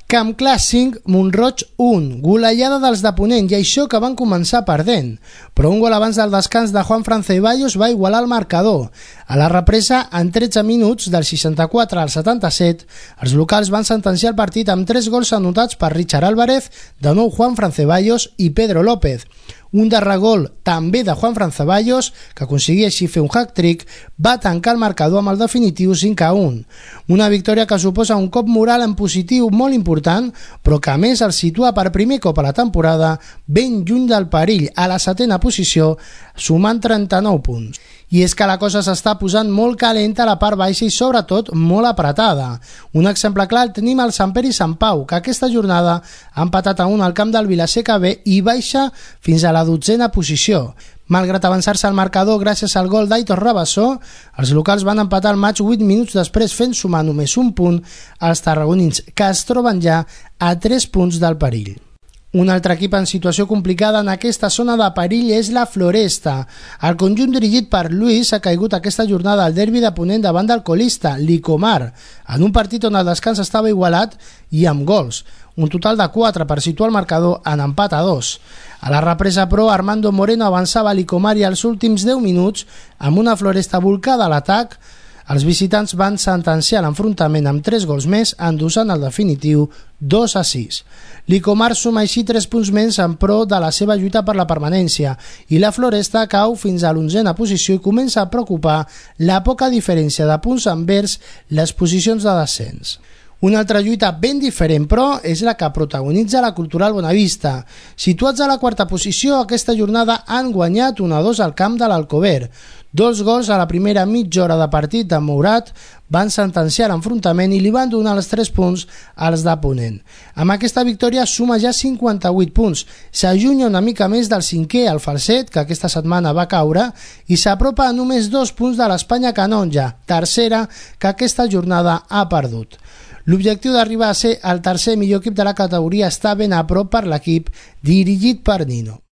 Camp Clar 5, Mont-roig 1, golejada dels de Ponent, i això que van començar perdent. Però un gol abans del descans de Juanfran Ceballos va igualar el marcador. A la represa, en 13 minuts, del 64 al 77, els locals van sentenciar el partit amb 3 gols anotats per Richard Álvarez, de nou Juanfran Ceballos i Pedro López. Un darrer gol, també de Juanfran Ceballos, que aconseguia així fer un hat-trick, va tancar el marcador amb el definitiu 5-1. Una victòria que suposa un cop moral en positiu molt important, però que a més el situa per primer cop a la temporada ben lluny del perill, a la 7ª posició, sumant 39 punts. I és que la cosa s'està posant molt calenta a la part baixa i sobretot molt apretada. Un exemple clar el tenim al Sant Pere i Sant Pau, que aquesta jornada ha empatat a 1 al camp del Vilaseca B i baixa fins a la 12ª posició. Malgrat avançar-se al marcador gràcies al gol d'Aitor Rabassó, els locals van empatar el maig 8 minuts després, fent sumar només un punt als tarragonins, que es troben ja a 3 punts del perill. Un altre equip en situació complicada en aquesta zona de perill és la Floresta. El conjunt dirigit per Luis ha caigut aquesta jornada al derbi de Ponent davant del colista, l'Icomar, en un partit on el descans estava igualat i amb gols. Un total de 4 per situar el marcador en empat a 2. A la represa, però, Armando Moreno avançava a l'Icomar i als últims 10 minuts, amb una Floresta volcada a l'atac, els visitants van sentenciar l'enfrontament amb 3 gols més, endossant el definitiu 2-6. L'Icomar suma així 3 punts menys en pro de la seva lluita per la permanència i la Floresta cau fins a l'11ª posició i comença a preocupar la poca diferència de punts envers les posicions de descens. Una altra lluita ben diferent, però, és la que protagonitza la Cultural Bonavista. Situats a la 4ª posició, aquesta jornada han guanyat 1-2 al camp de l'Alcover. 2 gols a la primera mitja hora de partit de Mourat van sentenciar l'enfrontament i li van donar els 3 punts als de Ponent. Amb aquesta victòria suma ja 58 punts, s'allunya una mica més del 5è, el Falset, que aquesta setmana va caure, i s'apropa a només 2 punts de l'Espanya Canonja, tercera, que aquesta jornada ha perdut. L'objectiu d'arribar a ser el tercer millor equip de la categoria està ben a prop per l'equip dirigit per Nino.